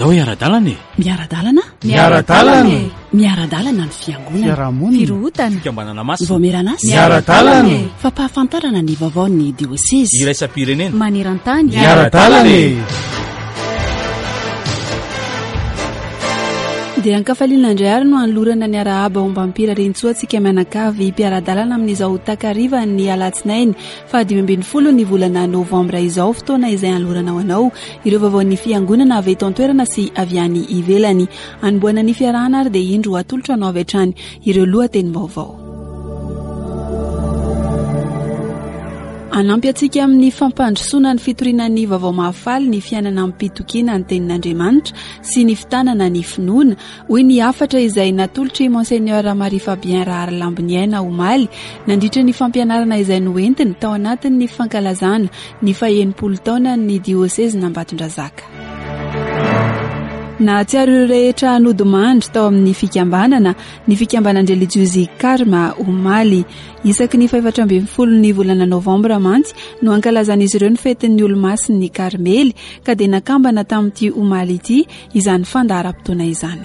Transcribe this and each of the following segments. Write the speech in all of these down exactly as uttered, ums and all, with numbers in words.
Andao hiara-dalana e! Miara-dalana? Miara-dalana e! Miara-dalana ny fiangonana. Fiarahamonina. Firohotana. Fikambanana masina. Vaomieran'asa. Miara-dalana e! Fampahafantarana ny vaovaon'ny diosezy. Iraisam-pirenena. Maneran-tany. Miara-dalana e! Dia ankafaliana indray ary no anolorana ny arahaba ombam-pirariantsoa antsika mianakavy mpiara-dalana amin'izao takariva ny alatsinainy fahadimy ambin'ny folo ny volana novambra izao, fotoana izay anolorana ho anao ireo vaovaon'ny fiangonana avy eto an-toerana sy avy any ivelany. Anombohana ny fiarahana ary dia indro atolotra anao avy hatrany ireo lohatenim-baovao. Hanampy antsika amin'ny fampandrosoana ny fitoriana ny vaovao mahafaly ny fiainana amim-pitokiana ny tenin'Andriamanitra sy ny fitanana ny finoana, hoy ny hafatra izay natolotry Monseigneur Marie Fabien Raharilamboniaina omaly nandritra ny fampianarana izay noentiny tao anatin'ny fankalazana ny fahenimpolo taonan'ny diosezin'Ambatondrazaka. Nahatsiaro ireo rehetra nodimandry tao amin'ny fikambanana ny fikambanan-drelijiozy Karma omaly. Isaky ny fahefatra ambin'ny folo ny volana novambra mantsy no ankalazan'izy ireo ny fetin'ny olomasin'ny Karmely, ka dia nakambana tamin'ity omaly ity izany fandaharam-potoana izany.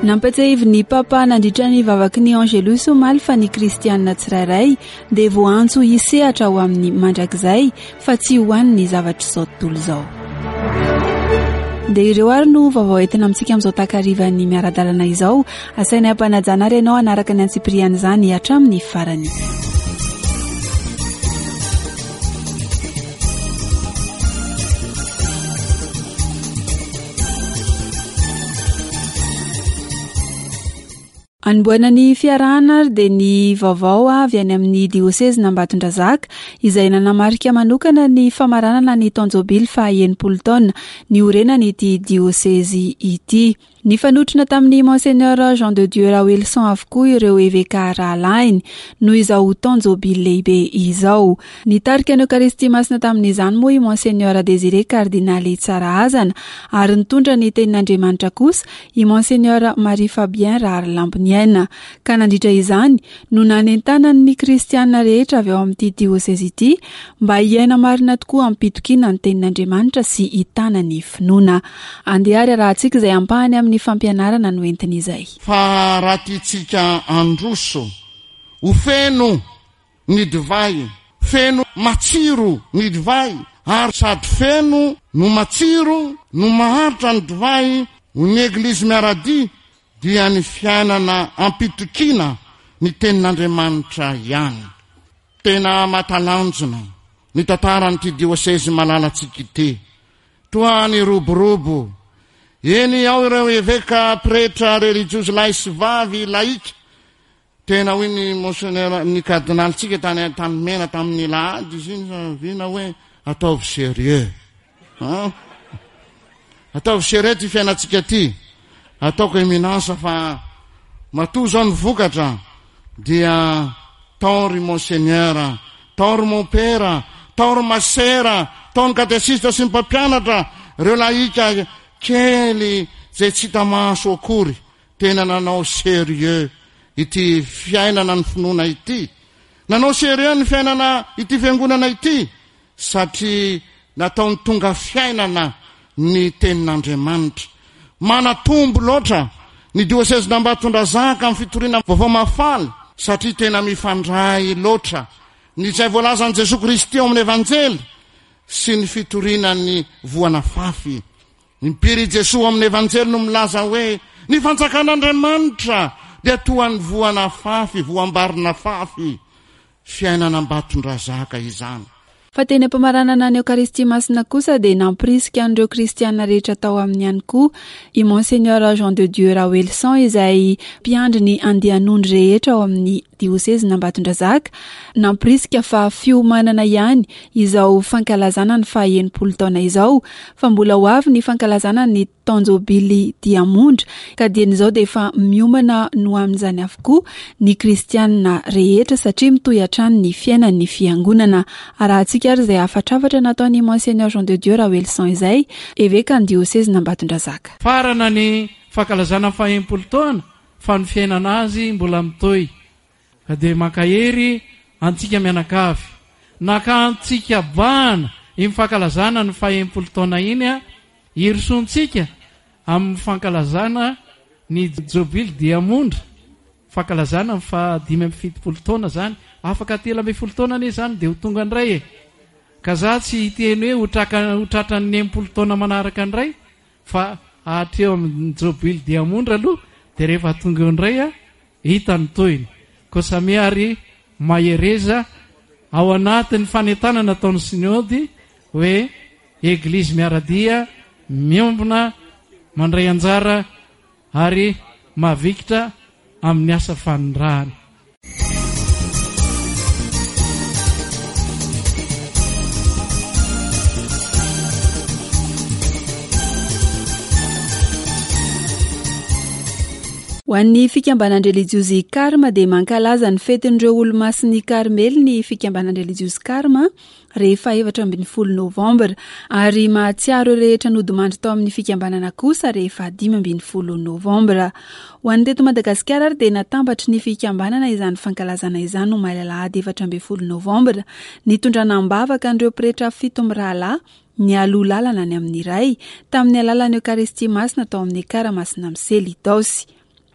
Nampatsiahivin'ny Papa nandritra ny vavaky ny Angelus omaly fa ny kristianina tsirairay dia voaantso hisehatra ho amin'ny mandrakizay fa tsy ho an'ny zavatr'izao tontolo izao. Dia ireo ary no vaovao entina amintsika amin'izao takarivan'ny miara-dalana izao. Asaina ampanajana ary ianao hanaraka ny antsipirian'izany hatramin'ny farany. Anombohana ny fiarahana ary dia ny vaovao avy any amin'ny diosezin'Ambatondrazaka izay nanamarika manokana ny famaranana ny taon-jobily faha enimpolo taona niorenan'ity diosezy ity. Nifanotrona tamin'ny Monseigneur Jean de Dieu Raoelison avokoa ireo eveka rahalahiny noho izao taon-jobily lehibe izao. Nitarika ny Eokaristia masina tamin'izany moa i Monseigneur Désiré Kardinaly Tsarahazana ary nitondra ny tenin'Andriamanitra kosa i Monseigneur Marie Fabien Raharilamboniaina. Ka nandritra izany no nanentanany ny kristianina rehetra avy ao amin'ity diosezy ity mba hiaina marina tokoa am-pitokiana ny tenin'Andriamanitra sy hitana ny finoana. Andeha ary arahantsika izay ampahany amin'ny fampianarana no entiny izay. Fa raha tiantsika handroso ho feno ny divay, feno matsiro ny divay, ary sady feno no matsiro no maharitra ny divay, ho ny Eglizy miara-dia dia ny fiainana am-pitokiana ny tenin'Andriamanitra ihany. Tena matalanjona ny tantaran'ity diosezy malalantsika ity. Toa ny roborobo. Eny ao ireo eveka pretra relijiozy lahy sy vavy laika. Tena hoy ny monseigneur ny kardinalintsika tany Antanimena tamin'ny lahady izy iny vina hoe ataovy sérieux. Hein? Ataovy sérieux ty fiainantsika ty. Ataoko éminence fa matoa zao ny vokatra dia tao ry monseigneur, tao ry mon père, tao ry masera, tao ny katesista sy ny mpampianatra, ireo laika kely zay tsy hita maso akory, tena nanao sérieux ity fiainana ny finoana ity. Nanao sérieux ny fiainana ity fiangonana ity satria nataony tonga fiainana ny tenin'Andriamanitra. Manatombo loatra ny diosezin'Ambatondrazaka amin'ny fitoriana vaovao mahafaly satria tena mifandray loatra ny izay voalazan'i Jesoa Kristy ao amin'ny Evanjely sy ny fitoriana ny voana fafy. Impiry Jesoa amin'ny Evanjely no milaza hoe ny fanjakan'Andriamanitra dia toa ny voana fafy, voambarina fafy. Fiainana Ambatondrazaka izany. Fa teny am-pamaranana ny Eokaristia masina kosa dia nampirisika an'ireo kristiana rehetra tao aminy ihany koa i Monseigneur Jean de Dieu Raoelison izay mpiandry ny andian'ondry rehetra ao amin'ny diosezin'Ambatondrazaka, nampirisika fa fiomanana ihany izao fankalazana ny faha enimpolo taona izao, fa mbola ho avy ny fankalazana ny taon-jobily diamondra, ka dieny izao dia efa miomana no amin'izany avokoa ny kristianina rehetra satria mitohy hatrany ny fiainan'ny fiangonana. Arahantsika ary izay hafatrafatra nataon'i Monseigneur Jean de Dieu Raoelison izay eveka ny diosezin'Ambatondrazaka. Farana ny fankalazana faha enimpolo taona fa ny fiainana azy mbola mitohy. Ka dia mankahery antsika mianakavy, naka antsika bahana Iny fankalazana ny faha-enimpolo taona iny a hirosoantsika amin'ny fankalazana ny jobily diamondra, fankalazana ny fahadimy amby fitopolo taona zany. Afaka telo ambin'ny folo taona anie zany dia ho tonga indray e. Ka za tsy hiteny hoe ho traka, ho tratran'ny enimpolo taona manaraka indray, fa hatreo amin'ny jobily diamondra aloha, dia rehefa tonga eo indray a hita ny tohiny. Koa samia ary mahereza ao anatin'ny fanentanana ataon'ny sinody hoe eglizy miara-dia, miombona, mandray anjara ary mavikitra amin'ny asa fanirahana. Ho an'ny fikambanan-drelijiozy Karma dia mankalaza ny fetin'ireo olomasin'ny Karmely ny fikambanan-drelijiozy Karma rehefa efatra ambin'ny folo novambra, ary mahatsiaro rehetra nodimandry tao amin'ny fikambanana kosa rehefa dimy ambin'ny folo novambra. Ho an'ny teto Madagasikara ary dia natambatry ny fikambanana izany fankalazana izany omaly alahady efatra ambin'ny folo novambra, nitondrana am-bavaka an'ireo pretra fito mirahalahy nialoha lalana any amin'ny Ray tamin'ny alalan'ny Eokaristia Masina tao amin'ny Ekara Masina Misely Itaosy.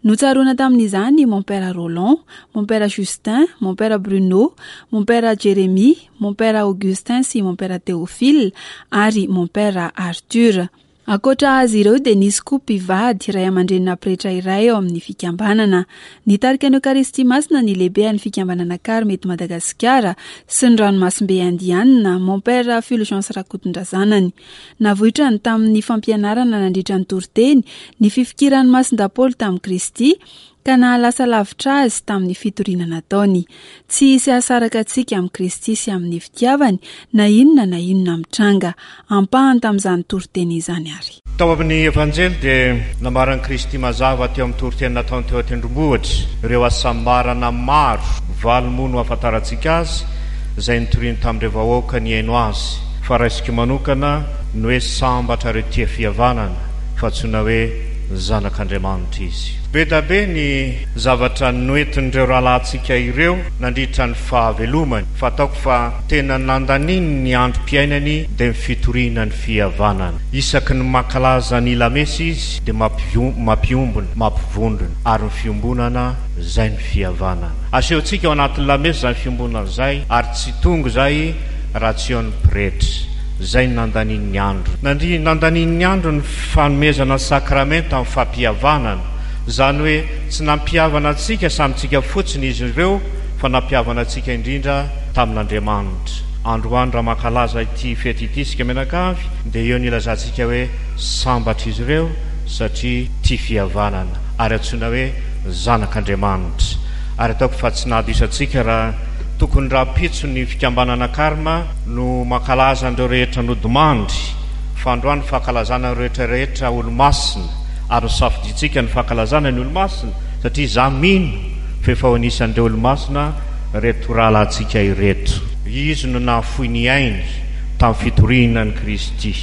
Notsaroana tamin'izany mon père Roland, mon père Justin, mon père Bruno, mon père Jérémie, mon père Augustin sy mon père Théophile ary mon père Arthur. Ankoatra azy ireo dia nisy koa mpivady ray aman-drenina pretra iray ao amin'ny fikambanana. Nitarika ny Eokaristia Masina ny lehibe an'ny fikambanana Karma eto Madagasikara sy ny ranomasimbe Indianina, mon père Fulgence Rakotondrazanany. Navoitrany tamin'ny fampianarana nandritra ny toriteny ny fifikiran'ny Masindahy tamin'i Kristy ka nahalasa lavitra azy tamin'ny fitoriana nataony. Tsy hisy hahasaraka antsika amin'i Kristy sy amin'ny fitiavany na inona na inona mitranga. Ampahany tamin'izany toriteny izany ary. Tao amin'ny Evanjely dia nambaran'i Kristy mazava teo amin'ny toriteny nataony teo an-tendrombohitra ireo hasambarana maro, valo moa no ahafantarantsika azy, izay nitoriany tamin'ireo vahoaka nihaino azy. Fa raisiko manokana ny hoe sambatra ireo tia fihavanana, fa antsoina hoe zanak'Andriamanitra izy. Be dia be ny zavatra noentin'ireo rahalahintsika ireo nandritra ny fahavelomany, fa ataoko fa tena nandaniny ny androm-piainany dia ny fitoriana ny fihavanana. Isaky ny mankalaza ny lamesa izy dia mampiombona, mampivondrona, ary ny fiombonana izay ny fihavanana. Asehontsika ao anatin'ny lamesa izany fiombonana izay, ary tsy tonga izay raha tsy eo ny pretra. Izay nandaniny ny andro. Nandri nandaniny ny andro ny fanomezana sakramenta amin'ny fampihavanana. Izany hoe tsy nampihavana antsika samitsika fotsiny izy ireo, fa nampihavana antsika indrindra tamin'Andriamanitra. Androany raha mankalaza ity fety ity isika mianakavy, dia eo ny ilazantsika hoe sambatra izy ireo satria tia fihavanana, ary antsoina hoe zanak'Andriamanitra. Ary ataoko fa tsy nahadiso antsika raha tokony rahampitso ny fikambanana Karma no mankalaza an'ireo rehetra nodimandry, fa androany fankalazana ireo rehetra rehetra olomasina, ary nosafidintsika ny fankalazana ny olomasina satria za mino fa efa ho anisan'ireo olomasina reto rahalahintsika ireto. Izy no nahafoy ny ainy tamin'ny fitoriana an'i Kristy.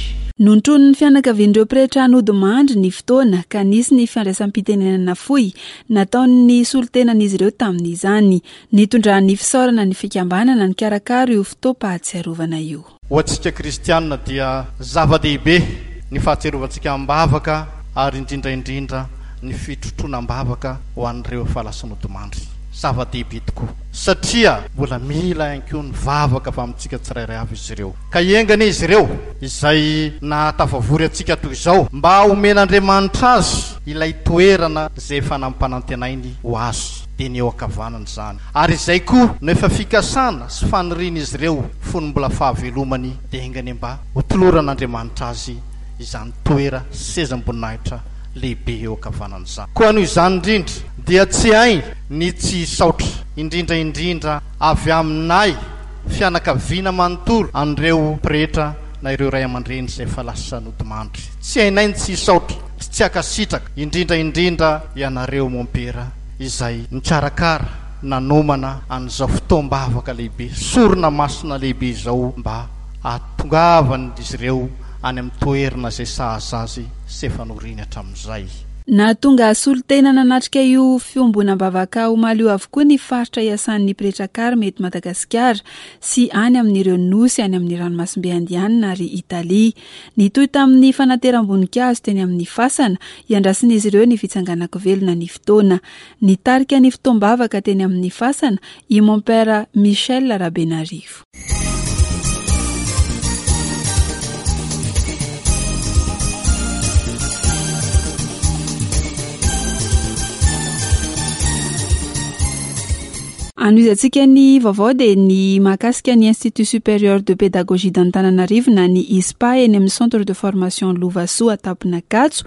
Nontronin'ny fianakavian'ireo pretra nodimandry ny fotoana ka nisy ny fandraisam-pitenenana fohy nataon'ny solontenan'izy ireo tamin'izany. Nitondrany fisaorana ny fikambanana nikarakara io fotoam-pahatsiarovana io. Ho antsika kristianina dia zava-dehibe ny fahatsiarovantsika am-bavaka, ary indrindra indrindra ny fitrotroana am-bavaka ho an'ireo efa lasa nodimandry. Zava-dehibe tokoa satria mbola mila ihany koa ny vavaka avy amintsika tsirairay avy izy ireo. Ka hiengana izy ireo izay nahatafavory antsika toy izao mba homen'Andriamanitra azy ilay toerana izay efa nampanantenainy ho azy, dia ny eo ankavanana izany. Ary izay koa no efa fikasana sy fanirian'izy ireo fony mbola fahavelomany, dia engany mba hotoloran'Andriamanitra azy izany toera sezam-boninahitra lehibe eo ankavanana izany. Koa noho izany indrindra dia tsy hay ny tsy hisaotra, indrindra indrindra avy aminay fianakaviana manontolo an'ireo pretra na ireo ray aman-dreny izay efa lasa nodimandry. Tsy hainay ny tsy hisaotra sy tsy hankasitraka, indrindra indrindra ianareo mompera izay nikarakara nanomana an'izao fotoam-bavaka lehibe, sorona masina lehibe izao, mba hahatongavan'izy ireo any amin'ny toerana izay sahaza azy sy efa noriny hatramin'izay. Nahatonga solontena nanatrika io fiombonam-bavaka omaly io avokoa ny faritra iasan'ny pretra Karma eto Madagasikara sy any amin'ireo nosy any amin'ny ranomasimbe Indianina ary Italia. Nitohy tamin'ny fanateram-boninkazo teny amin'ny fasana iandrasin'izy ireo ny fitsanganan-kovelona ny fotoana. Nitarika ny fotoam-bavaka teny amin'ny fasana i Mompera Michel Rabenarivo. Anohizantsika ny vaovao dia ny mahakasika ny Institut Supérieur de Pédagogie d'Antananarivo na ny I S P A eny amin'ny Centre de Formation Lovasoa Tampinakatso,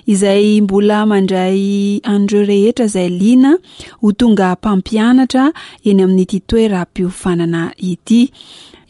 izay mbola mandray an'ireo rehetra izay liana ho tonga mpampianatra eny amin'ity toeram-piofanana ity.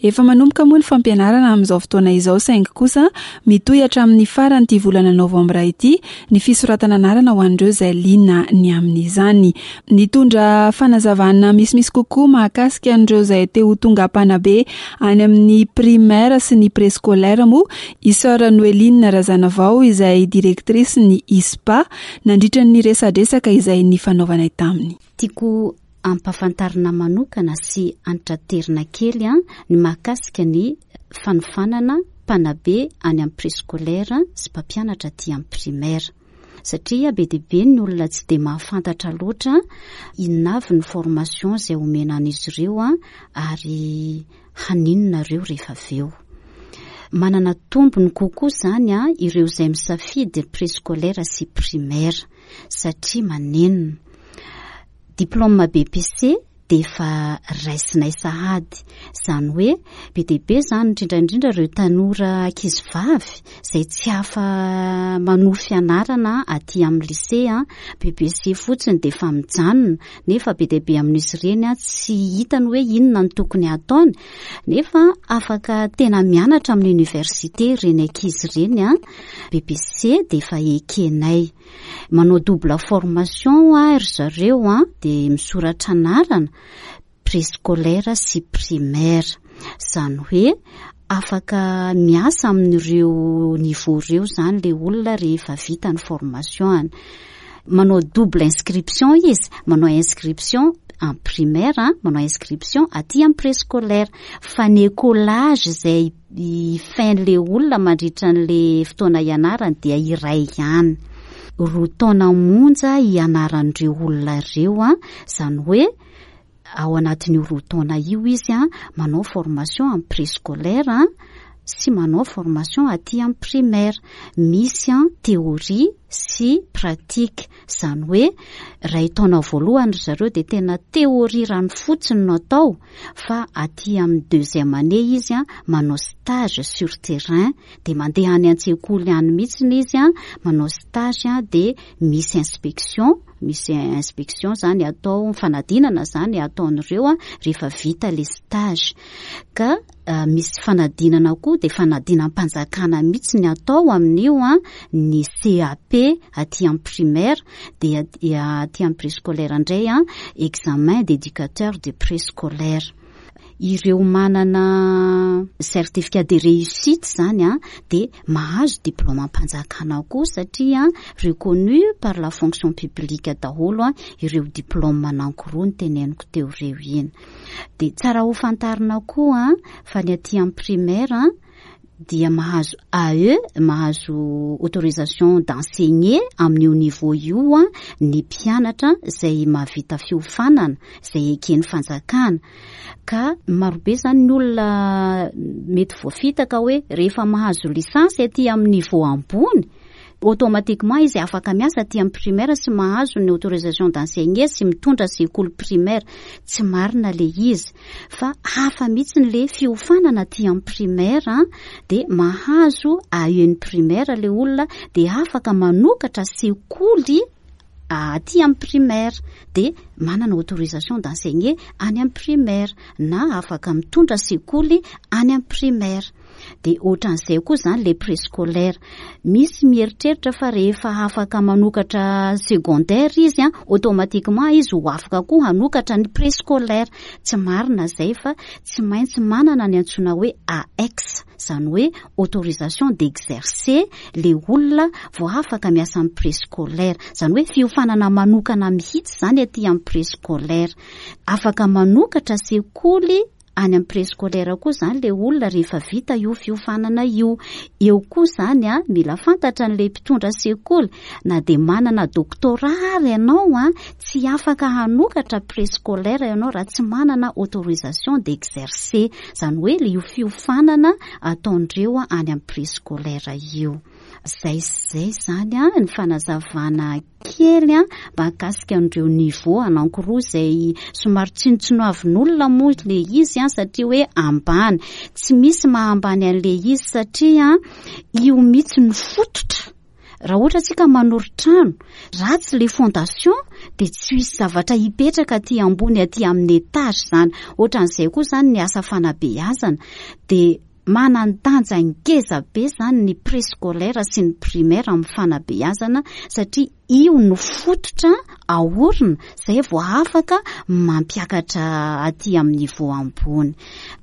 Efa manomboka moa ny fampianarana amin'izao fotoana izao, saingy kosa mitohy hatramin'ny faran'ity volana novambra ity ny fisoratana anarana ho an'ireo izay liana ny amin'izany. Nitondra fanazavana misimisy kokoa mahakasika an'ireo izay te ho tonga mpanabe any amin'ny primaire sy ny préscolaire moa i Sœur Noeline Razanavao, izay directrice ny I S P A, nandritra ny resadresaka izay ny fanaovanay taminy. Tiako ampahafantarina manokana sy antraterina kely a ny mahakasika ny fanofanana mpanabe any amin'ny préscolaire sy mpampianatra aty amin'ny primaire, satria be dia be ny olona tsy de mahafantatra loatra inona avy ny formation izay omena an'izy ireo a ary haninona ireo rehefa avy eo. Manana tombony kokoa zany a ireo izay misafidy préscolaire sy primaire, satria manenina diplôme B E P C de efa raisinay sahady. Zany hoe be dia be zany, indrindraindrindra ireo tanora ankizy vavy izay tsy afa manohy fianarana aty amin'ny lycée a B E P C fotsiny de efa mijanona, nefa be dia be amin'izy ireny a tsy hitany hoe inona ny tokony ataony, nefa afaka tena mianatra amin'ny université ireny ankizy ireny a B E P C de efa ekenay. Manao double formation a ry zareo a de misoratra anarana préscolaire sy primaire, zany hoe afaka miasa amin'ireo niveau ireo zany le olona rehefa vita ny formation any. Manao double inscription izy, manao inscription en primaire, manao inscription aty amin'ny préscolaire, fa ny écolage zay fin-le olona mandritra n'le fotoana ianarany dia iray ihany. Roa taona monja ianaran'ireo olona ireo a zany hoe ao anatin'io roa taona io izy a manao formation amin'ny préscolaire sy manao formation aty amin'ny primaire. Misy a théorie sy pratique, zany hoe ray taona voalohany ry zareo de tena théorie rano fotsiny no atao, fa aty amin'ny deuxième année izy a manao stage sur terrain, de mandeha any an-tsekoly any mihitsiny izy a manao stage a de misy inspection, misy inspection zany atao, fanadinana zany ataon'ireo a rehefa vita le stage. Ka misy fanadinana koa, de fanadinam-panjakana mihitsy ny atao amin'io a ny C A P aty amin'ny primaire, de aty amin'ny préscolaire indray a examen d'éducateur de préscolaire. Ireo manana certificat de réussite zany a de mahazo diplôme-mpanjakana koa, satria reconnu par la fonction publique daholo a ireo diplôme anankiroa ny teneniko teo ireo iny. De tsara ho fantarina koa a fa ny aty amin'ny primaire dia mahazo A E, mahazo autorisation d'enseigner amin'io niveau io a ny mpianatra zay mahavita fiofanana zay ekeny fanjakana. Ka marobe zany ny olona mety voafitaka hoe rehefa mahazo licence aty amin'ny niveau ambony, automatiquement izy afaka miasa aty amin'ny primaire sy mahazo ny autorisation d'enseigner sy mitondra sekoly primaire. Tsy marina le izy, fa hafa mihitsy ny le fiofanana aty amin'ny primaire. De mahazo A E ny primaire le olona, de afaka manokatra sekoly aty amin'ny primaire, de manana autorisation d'enseigner any amin'ny primaire na afaka mitondra sekoly any amin'ny primaire. Dia ohatran'izay koa izany ilay préscolaire. Misy mieritreritra fa rehefa afaka manokatra secondaire izy, automatiquement izy ho afaka koa hanokatra ny préscolaire. Tsy marina izay fa tsy maintsy manana ny antsoina hoe A X, izany hoe autorisation d'exercer le olona vao afaka miasa amin'ny préscolaire. Izany hoe fiofanana manokana mihitsy izany aty amin'ny préscolaire. Afaka manokatra sekoly any amin'ny préscolaire koa izany le olona rehefa vita io fiofanana io. Eo koa izany a, mila fantatra an'ilay mpitondra sekoly, na dia manana doctorat ary ianao a, tsy afaka hanokatra préscolaire ianao raha tsy manana autorisation d'exercer. Izany hoe le io fiofanana ataondreo any amin'ny préscolaire io. Zay zay izany a, ny fanazavana kely a, mahakasika an'ireo niveau anankiroa izay somary tsinontsinoavin'olona moa le izy a, satria hoe ambany. Tsy misy mahambany an'le izy satria io mihitsy no fototra. Raha ohatra tsika manori-trano, ratsy le fondation dia tsy hisy zavatra hipetraka aty ambony aty amin'ny étage izany. Ohatran'izay koa izany ny asa fanabeazana dia manan-danja ngeza be izany ny préscolaire sy ny primaire amin'ny fanabeazana satria io no fototra aorina izay vao afaka mampiakatra aty amin'ny niveau ambony.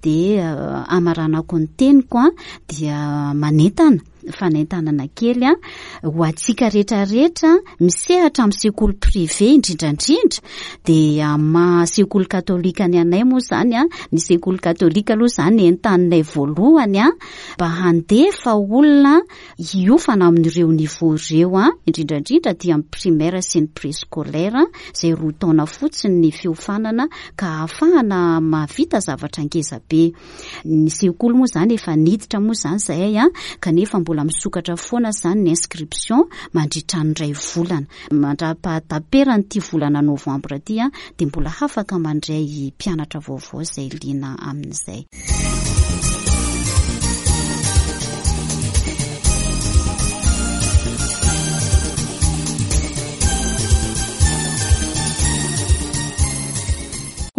Dia, eh, amaranako ny teniko a, dia manentana, fanentanana kely a, ho antsika rehetrarehetra misehatra amin'ny sekoly privé indrindrandrindra. Dia maha sekoly katolika ny anay moa izany a, ny sekoly katolika aloha izany entaninay voalohany a, mba handefa olona hiofana amin'ireo niveau ireo a, indrindrandrindra aty amin'ny primaire sy ny préscolaire, izay roa taona fotsiny ny fiofanana ka ahafahana mahavita zavatra ngeza be. Ny sekoly moa izany efa niditra moa izany izahay a, kanefa mbola misokatra foana izany ny inscription mandritra ny iray volana. Mandra-pahataperan'ity volana novambra ity a, dia mbola afaka mandray mpianatra vaovao izay liana amin'izay.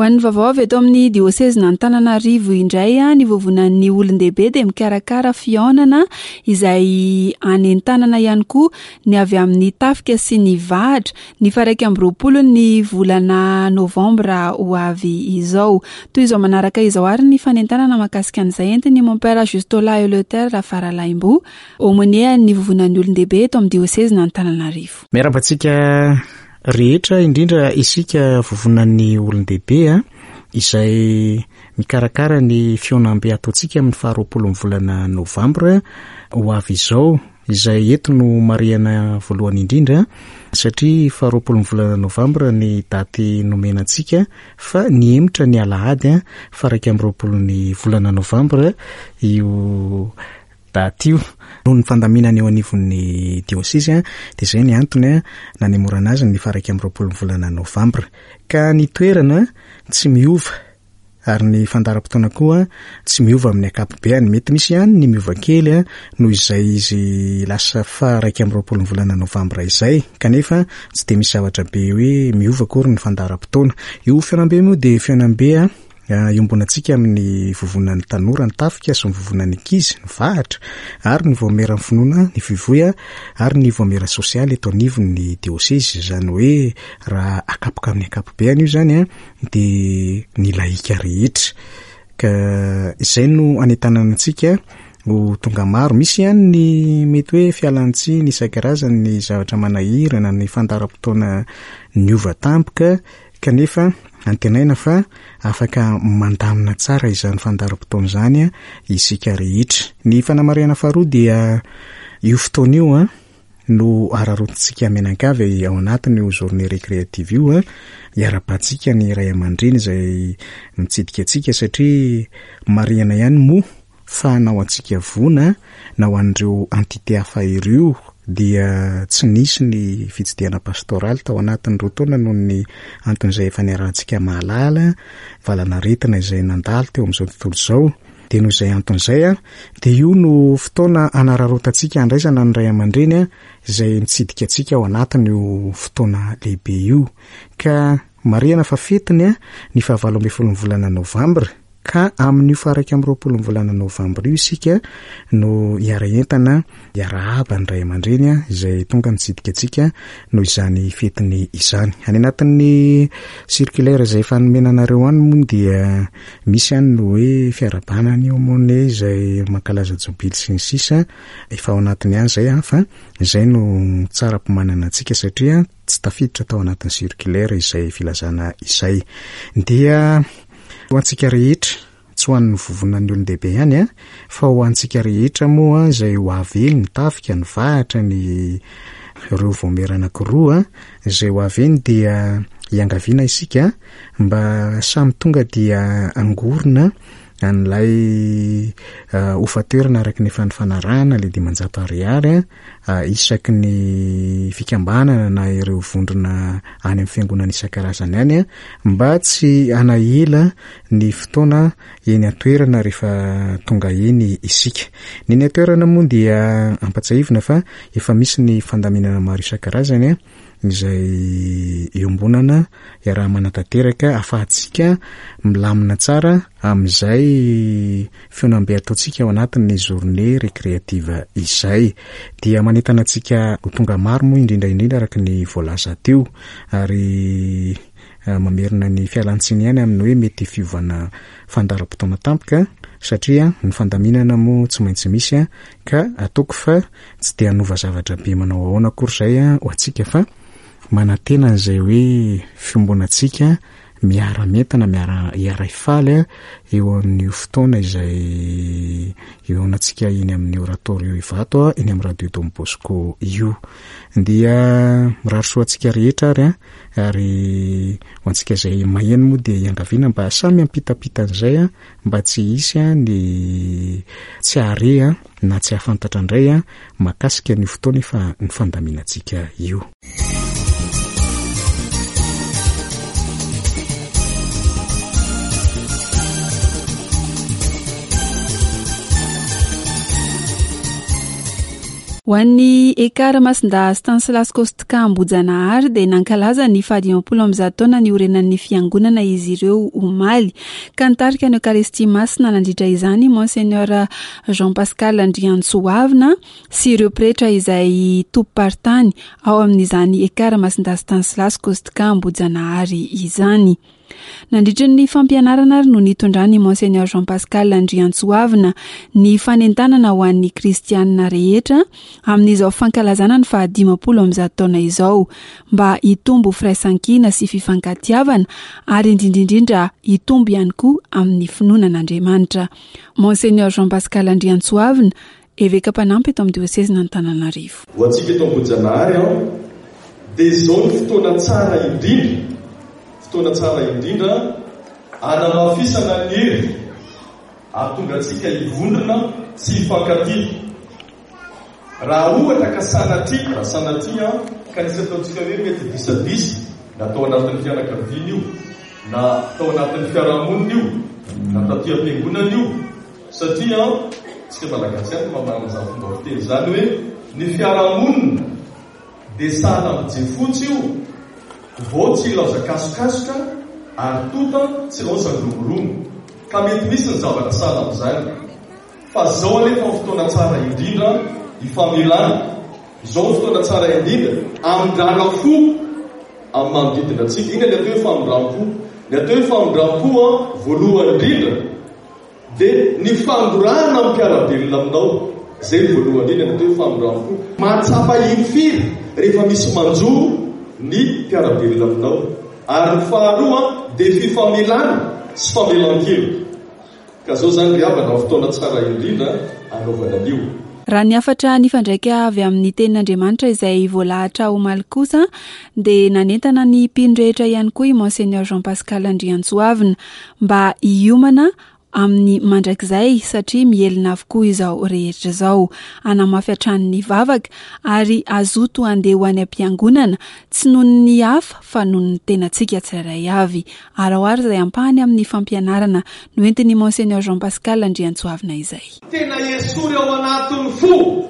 Ho an'ny vaovao avy eto amin'ny diosezin'Antananarivo indray a, ny vovonan'ny olon-dehibe dia mikarakara fihaonana izay anentanana ihany koa ny avy amin'ny tafika sy ny vahatra ny faha-iraika amby roapolo ny volana novambra ho avy izao. Toy izao manaraka izao ary ny fanentanana mahakasika an'izay entin'ny Mompera Justola Eleuthère Rafaralaimbo, aumônier ny vovonan'ny olon-dehibe eto amin'ny diosezin'Antananarivo. Miarahaba antsika rehetra, indrindra isika vovonan'ny olon-dehibe a, izay mikarakara ny fihaonambe ataontsika amin'ny faha-roapolo ny volana novambra ho avy izao, izay eto no marihana voalohany indrindra satria faha-roapolo ny volana novambra ny daty nomena antsika, fa nihemotra ny alahady a, faha-iraika amby roapolo ny volana novambra io daty io. Noho ny fandaminana eo anivon'ny diôsezy a, dia izay ny antony a, nanemorana azy ny faha-iraika amby roapolo ny volana novambra. Ka ny toerana tsy miova ary ny fandaharam-potoana koa tsy miova amin'ny ankapobeny. Mety misy ihany ny miova kely a, noho izay izy lasa faha-iraika amby roapolo ny volana novambra izay, kanefa tsy dia misy zavatra be hoe miova akory ny fandaharam-potoana. Io fihaonambe moa dia fihaonambe a, iombonantsika amin'ny vovonan'ny tanora, ny tafika sy ny vovonan'ny ankizy, ny vahatra ary ny vaomieran'ny finoana, ny fivoy ary ny vaomiera sosialy eto anivon'ny diosezy. Izany hoe raha akapoka amin'ny ankapobeny io izany a, dia ny lahika rehetra. Ka izay no anentanana antsika ho tonga maro. Misy ihany ny mety hoe fialantsiny isan-karazany, ny zavatra manahirana, ny fandaharam-potoana niova tampoka, kanefa antenaina fa afaka mandamina tsara izany fandaharam-potoana izany a, isika rehetra. Ny fanamarihana faharoa dia io fotoana io a, no araraotintsika mianankavy ao anatin'io journée récréative io a, hiarahabantsika ny ray aman-dreny izay mitsidika antsika, satria marihana ihany moa fa na ho antsika vona na ho an'ireo entité hafa ireo dia tsy nisy ny fitsidihana pastoraly tao anatin'ny roa taona noho ny anton'izay efa niarahantsika mahalala, valanaretina izay nandalo teo amin'izao tontolo izao. Dia noho izay anton'izay a, dia io no fotoana anararaotantsika handraisana ny ray aman-dreny a, izay mitsidika antsika ao anatin'io fotoana lehibe io. Ka marihana fa fetiny a, ny fahavalo ambin'ny folo ny volana novambra, Ka amin'io faha-iraika amby roapolo ny volana novambra io isika no hiara-entana hiarahaba ny ray aman-dreny izay tonga mitsidika antsika noho izany fetiny izany. Any anatin'ny circulaire izay efa nomena anareo any moa dia misy any ny hoe fiarahabana ny aumônier izay mankalaza jobily sy ny sisa, efa ao anatiny ihany izay fa izay no tsara ampimanana antsika satria tsy tafiditra tao anatin'ny circulaire izay filazana izay. Dia ho antsika rehetra, tsy ho an'ny vovonan'ny olon-dehibe ihany a, fa ho antsika rehetra moa izay ho avy eny, ny tafika, ny vahatra, ny ireo vaomiera anankiroa izay ho avy eny dia hiangaviana isika mba samy tonga dia angorona an'ilay hofan-toerana araka ny efa nifanarahana ilay dimanjato ariary a, isaky ny fikambanana na ireo vondrona any amin'ny fiangonana isan-karazany any a, mba tsy hanahela ny fotoana eny an-toerana rehefa tonga eny isika. Ny eny an-toerana moa dia ampatsiahivina fa efa misy ny fandaminana maro isan-karazany a, izay iombonana iaraha-manatanteraka ahafahantsika milamina tsara amin'izay fihaonambe ataontsika ao anatin'ny journée récréative izay. Dia manentana antsika ho tonga maro moa indrindra indrindra araka ny voalaza teo, ary mamerina ny fialantsiny ihany amin'ny hoe mety fiovana fandaharam-potoana tampoka satria ny fandaminana moa tsy maintsy misy a, ka ataoko fa tsy dia hanova zavatra be manao ahoana akory izay a ho antsika fa manantena an'izay hoe fiombonantsika miara-mientana, miara hiara-hifaly a eo amin'io fotoana izay eo antsika eny amin'ny oratorio Ivato a, eny amin'ny radio Don Bosco io. Dia mirary soa antsika rehetra ary a, ary ho antsika izay maheno moa dia hiangaviana mba samy hampitapita an'izay a, mba tsy hisy a ny tsy hahare a na tsy hahafantatra indray a mahakasika ny fotoana efa nifandaminantsika io. Ho an'ny Ekar Masindahy Stanislas Kostka Ambohijanahary dia nankalaza ny fahadimampolo amby zato taona niorenan'ny fiangonana izy ireo omaly, ka nitarika ny Eokaristia Masina nandritra izany Monseigneur Jean Pascal Andriantsoavina sy ireo pretra izay tompom-paritany ao amin'izany Ekar Masindahy Stanislas Kostka Ambohijanahary izany. Nandritra ny fampianarana ary no nitondrany Monseigneur Jean Pascal Andriantsoavina ny fanentanana ho an'ny kristianina rehetra amin'izao fankalazana ny fahadimampolo amby zato taona izao mba hitombo firaisankina sy fifankatiavana ary indrindra indrindra hitombo ihany koa amin'ny finoana an'Andriamanitra. Monseigneur Jean Pascal Andriantsoavina, eveka mpanampy eto amin'ny diosezin'Antananarivo. Ho antsika eto Ambohijanahary aho dia izao ny fotoana tsara indrindra, fotoana tsara indrindra anamafisana ny hery ary tonga antsika hivondrona sy hifankatia. Raha ohatra ka sanatria, raha sanatria ka nisy ataontsika hoe mety disadisa na tao anatin'ny fianakaviana io, na tao anatin'ny fiarahamonina io, na taty am-piangonana io, satria tsika malagasy ihany no mamarana izany fomba fiteny izany hoe ny fiarahamonina dia sahala amin'ny jiafotsy io, vao tsy ilaozan-kasokasoka ary tota tsy ilaozan-dromoromo. Ka mety misy ny zavatra sahala amin'izany. Fa izao anefa ny fotoana tsara indrindra hifamelana, izao ny fotoana tsara indrindra hamindrana fo amin'ny manodidina antsika. Inona ny atao hoe famindram-po? Ny atao hoe famindram-po a, voalohany indrindra dia ny fangorahana amin'ny mpiara-belona aminao. Izay ny voalohany indrindra ny atao hoe famindram-po. Mahatsapa hirifiry rehefa misy manjo ny mpiara-belona aminao. Ary ny faharoa dia fifamelana sy famelan-keloka. Ka zao zany ry havana, fotoana tsara indrindra anaovana an'io. Raha ny hafatra nifandraika avy amin'ny tenin'Andriamanitra izay voalahatra omaly kosa dia nanentana ny mpino rehetra ihany koa i Monseigneur Jean Pascal Andriantsoavina mba hiomana amin'ny mandrakizay satria mihelina avokoa izao rehetra izao. Hanamafy hatrany ny vavaka ary hazoto handeha ho any am-piangonana, tsy noho ny hafa fa noho ny tenantsika tsirairay avy. Ary ao ary izay ampahany amin'ny fampianarana noentin'i Monseigneur Jean Pascal Andriantsoavina izay. Tena esory ao anatin'ny fo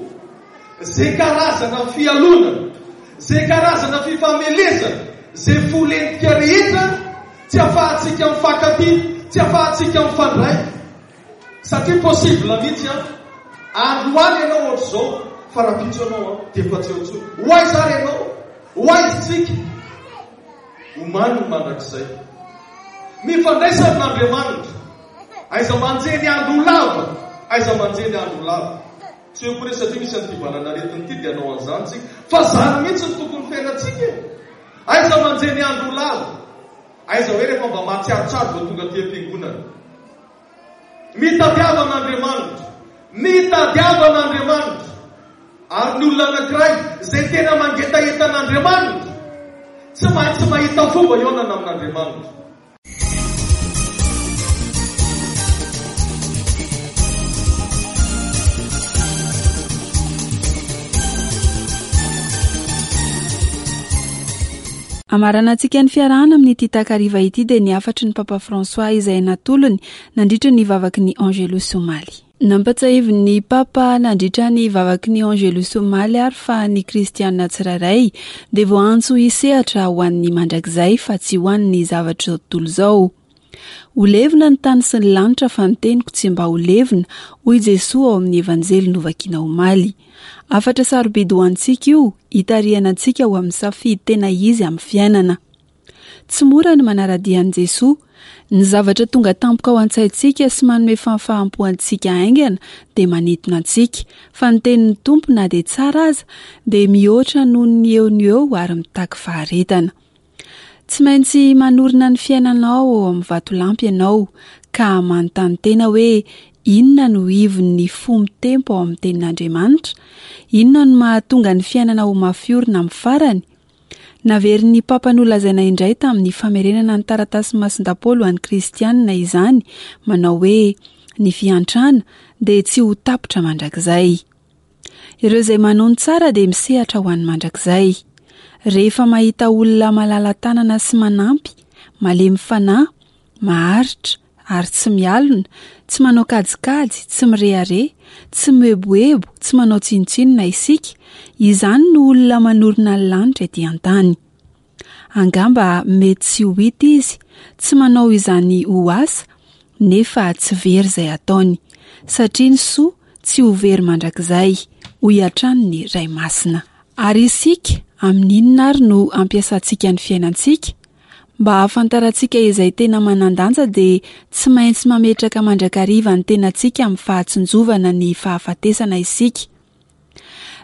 zay karazana fialonana, zay karazana fifamelezana, zay fo lentika rehetra tsy ahafahantsika mifankatia, Tsy afahantsika mifandray. Satria possible mihitsy an, androany ianao ohatr'izao, fa rahampitso ianao an, dia efa tsy eo intsony. Ho aiza ary ianao? Ho aiza isika? Omany ny mandrakizay. Mifandraisa amin'Andriamanitra. Aiza manjehy ny andro ho lava. Aiza manjehy ny andro ho lava. Tsy hoe koa re satria misy an'ity valan'aretina ity dia hanao an'izany tsika. Fa izany mihitsy no tokony fiainantsika e. Aiza manjehy ny andro ho lava. Aiza hoe rehefa mba mahatsiarotsiaro vao tonga aty am-piangonana. Mitadiava an'Andriamanitra. Mitadiava an'Andriamanitra. Ary ny olona anankiray izay tena mangetaheta an'Andriamanitra, tsy maintsy mahita fomba hihaonana amin'Andriamanitra. Amaranantsika ny fiarahana amin'ity takariva ity dia ny hafatry ny Papa François izay natolony nandritra ny vavaky ny Angelus omaly. Nampatsiahivin'ny Papa nandritra ny vavaky ny Angelus omaly ary fa ny kristianina tsirairay dia voaantso hisehatra ho an'ny mandrakizay fa tsy ho an'ny zavatra izao tontolo izao. Ho levona ny tany sy ny lanitra fa ny teniko tsy mba ho levona, hoy Jesoa ao amin'ny Evanjely novakina omaly. Hafatra sarobidy ho antsika io, hitarihana antsika ho amin'ny safidy tena izy amin'ny fiainana. Tsy mora ny manara-dia an'i Jesoa. Ny zavatra tonga tampoka ao an-tsaintsika sy manome fahafaham-po antsika haingana dia manintona antsika, fa ny tenin'ny Tompo na dia tsara aza dia mihoatra noho ny eo no eo ary mitaky faharetana. Tsy maintsy manorina ny fiainanao ao amin'ny vatolampy ianao ka manontany tena hoe inona no ivon'ny fo mitempo ao amin'ny tenin'Andriamanitra? Inona no mahatonga ny fiainana ho mafy orina amin'ny farany? Naverin'ny Papa nolazaina indray tamin'ny famerenana ny taratasy Masindahy Paoly ho an'ny kristianina izany, manao hoe ny fiantrana dia tsy ho tapitra mandrakizay. Ireo izay manao ny tsara dia misehatra ho an'ny mandrakizay. Rehefa mahita olona malala-tanana sy manampy, malemy fanahy, maharitra ary tsy mialona, tsy manao kajikajy, tsy mirehareha, tsy mieboebo, tsy manao tsinontsinona isika, izany no olona manorina ny lanitra ety an-tany. Angamba mety tsy ho hita izy, tsy manao izany ho asa, nefa tsy very izay ataony, satria ny soa tsy ho very mandrakizay, hoy hatrany ny Ray Masina. Ary isika, amin'inona ary no ampiasantsika ny fiainantsika? Mba hahafantarantsika izay tena manan-danja dia tsy maintsy mametraka mandrakariva ny tenantsika amin'ny fahatsinjovana ny fahafatesana isika.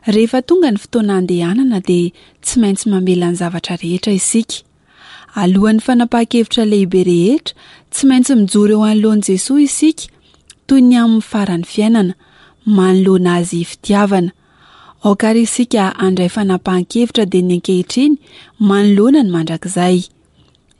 Rehefa tonga ny fotoana andehanana dia tsy maintsy mamela ny zavatra rehetra isika. Alohan'ny fanapahan-kevitra lehibe rehetra, tsy maintsy mijoro eo anoloan'i Jesoa isika, toy ny amin'ny faran'ny fiainana, manoloana azy fitiavana. Aoka ary isika handray fanapahan-kevitra dia ny ankehitriny manoloana ny mandrakizay.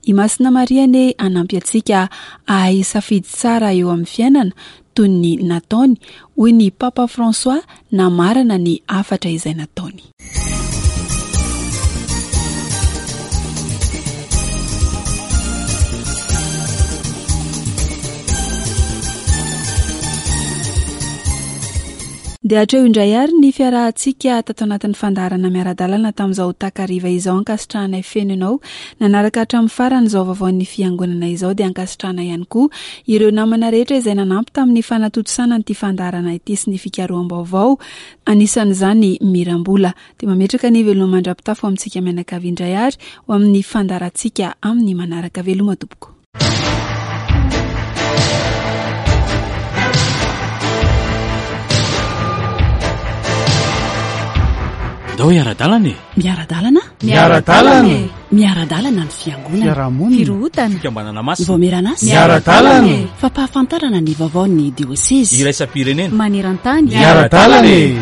I Masina Maria anie hanampy antsika hahay safidy tsara eo amin'ny fiainana toy ny nataony, hoy ny Papa François namarana ny hafatra izay nataony. Dia hatreo indray ary ny fiarahantsika tato anatin'ny fandaharana miara-dalana tamin'izao takariva izao. Ankasitrahanay feno ianao nanaraka hatramin'ny farany izao vaovaon'ny fiangonana izao, dia ankasitrahana ihany koa ireo namana rehetra izay nanampy tamin'ny fanatontosana an'ity fandaharana ity sy ny fikaroham-baovao, anisan'izany Mirambola. Dia mametraka ny veloma mandra-pitafo amintsika mianakavy indray ary ho amin'ny fandaharantsika amin'ny manaraka. Veloma tompoko. Ndao hiara-dalana e. Miara-dalana? Miara-dalana e. Miara-dalana ny fiangonana. Fiarahamonina. Firohotana. Fikambanana masina. Vaomieran'asa. Miara-dalana e. Fampahafantarana ny vaovaon'ny diosezy. Iraisam-pirenena. Maneran-tany. Miara-dalana e.